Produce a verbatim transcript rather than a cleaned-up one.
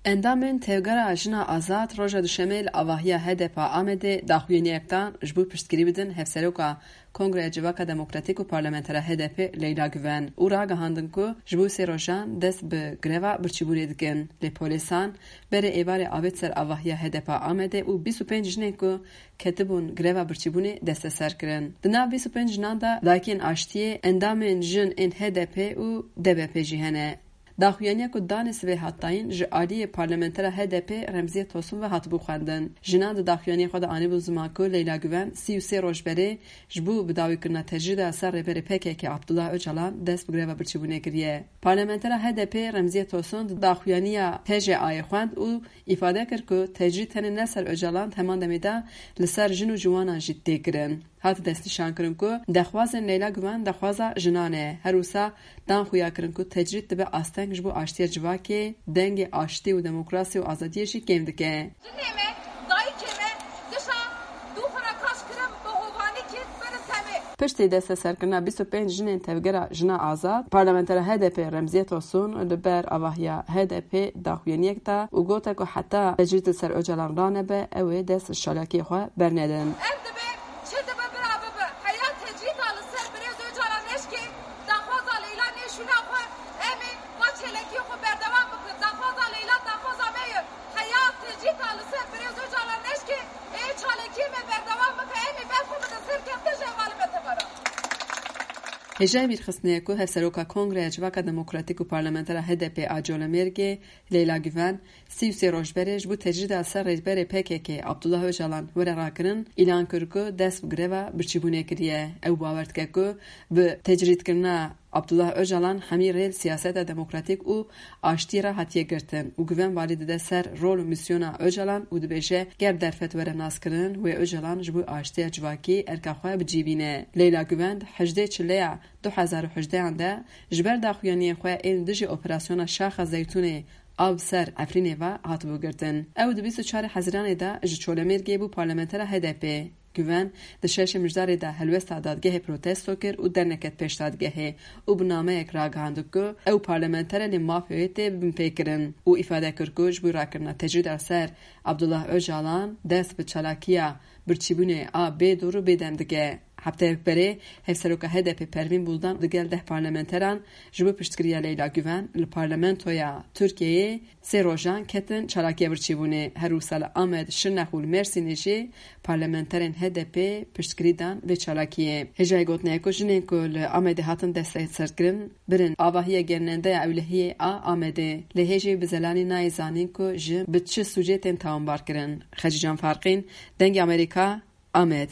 Endamên Tevgera Jina Azad roja Duşemê li avahiya H D P Amedê daxuyaniyek dan ji bo piştgirî bidin hevseroka Kongreya Civaka Demokratîk û parlamentera H D P Leyla Güven û ragihandin ku ji bo sê rojan dest bi greva birçîbûnê dikin. Lê polêsan berê êvarê avêt ser avahiya H D P Amedê û bîst û pênc jinên ku ketibûn greva birçîbûnê desteser kirin. Di nav bîst û pênc jinan de dayikên aştiyê, endamên jin ên H D P û D B P jî hene. Daxuyaniya ku danê sibê hat dayîn ji aliyê parlamentera H D P Remziye Tosun ve hatibû xwendin. Jinan di daxuyaniyê xwe de anîbûn ziman ku Leyla Güven sî û sê roj berê ji bo bidawîkirina tecrîda ser rêberê P K K Abdullah Öcalan dest bi greva birçîbûnê kiriye. Parlamentera H D P Remziye Tosun di daxuyaniya T J Ayê xwend û îfade kir ku tecrîd tenê ne ser Öcalan, di heman demê de li ser jin û ciwanan jî tê kirin. Hat destnîşankirin ku dexwazên Leyla Güven dexwaza jinan e. Her wisa dan xuya kirin ku tecrîd dibe asteng ji bo aştiya civakê, dengê aştî û demokrasî û azadiyê jî kêm dike. Jinê me, dayikê me, dişa dû xwe re kaş kirin, bi hovanî kir, berin temê. Piştî desteserkirina bîst û pênc jinên Tevgera Jina Azad, parlamentera H D P Remziye Tosun li ber avahiya H D P daxuyaniyek da û gote ku heta tecrîd li ser Ocalan ranebe, ew ê dest ji çalakiyê xwe bernedin. Ev dibe, çi dibe bira bibe. Heya tecrîda li ser birêz Ocalan neşkê, daxwaza Leyla nêşûna xwe, em ê va çêlekiyê xwe berdewam bikin. Daxwaza Leyla daxwaza me ye. Heya tecrîda li ser birêz Ocalan neşkê, ê çalekiyê me berdewam bike, em ê ber xwe bidin serkeftin ji hevalê me tevera. Hêjayî bîrxistinê ye ku Hevseroka Kongreya Civaka Demokratîk û Parlamentera H D P a Colemêrgê, Leyla Güven, sî û sê roj berê ji bo tecrîda ser rêberê P K K Abdullah Ocalan were rakirin, îlan kir ku dest bi greva birçîbûnê kiriye. Ew bawer dike ku bi tecrîdkirina Abdullah Ocalan hemî rê li siyaseta demokratîk û aştiyê re hatiye girtin û Güven valî dide ser rol û mîsyona Ocalan û dibêje, ger derfet were naskirin, wê Ocalan ji bo aştiya civakî erka xwe bi cî bîne. Leyla Güven di hejdê Çileya du hezar û hejdehan de ji ber daxuyaniyên xwe ên dijî operasyona Şaxa Zeytûnê a bi ser Efrînê ve hatibû girtin. Ew di bîst û çar Hezîranê de ji Çolemêrgê bû parlamentera H D P. Güven di şeşê Mijdarê de helwesta dadgehê protesto kir û derneket pêş dadgehê û bi nameyek ragihand ku ew parlamenter e, lê mafê wê tê binpêkirin û îfade kir ku ji bo rakirina tecrîda ser Abdullah Ocalan dest bi çalakiya birçîbûnê a bê dor û bêdem dike. Hefteyek berê Hevseroka H D P Pervîn Buldan digel deh parlamenteran ji bo piştgiriya Leyla Güven li parlamentoya Tirkiyeyê sê rojan ketin çalakiya birçîbûnê. Her wisa li Amed, Şirnex û li Mêrsînê jî parlamenterên H D P piştgirî dan vê çalakiyê. Hêjayî gotinê ye ku jinên ku li Amedê hatin desteserkirin, birin avahiya gerînendeya Ewlehiyê a Amedê. Lê hê jî bi zelanî nayê zanîn ku jin bi çi sûcê tên tawanbarkirin. Xecîcan Farqîn, Dengê Amerîka, Amed.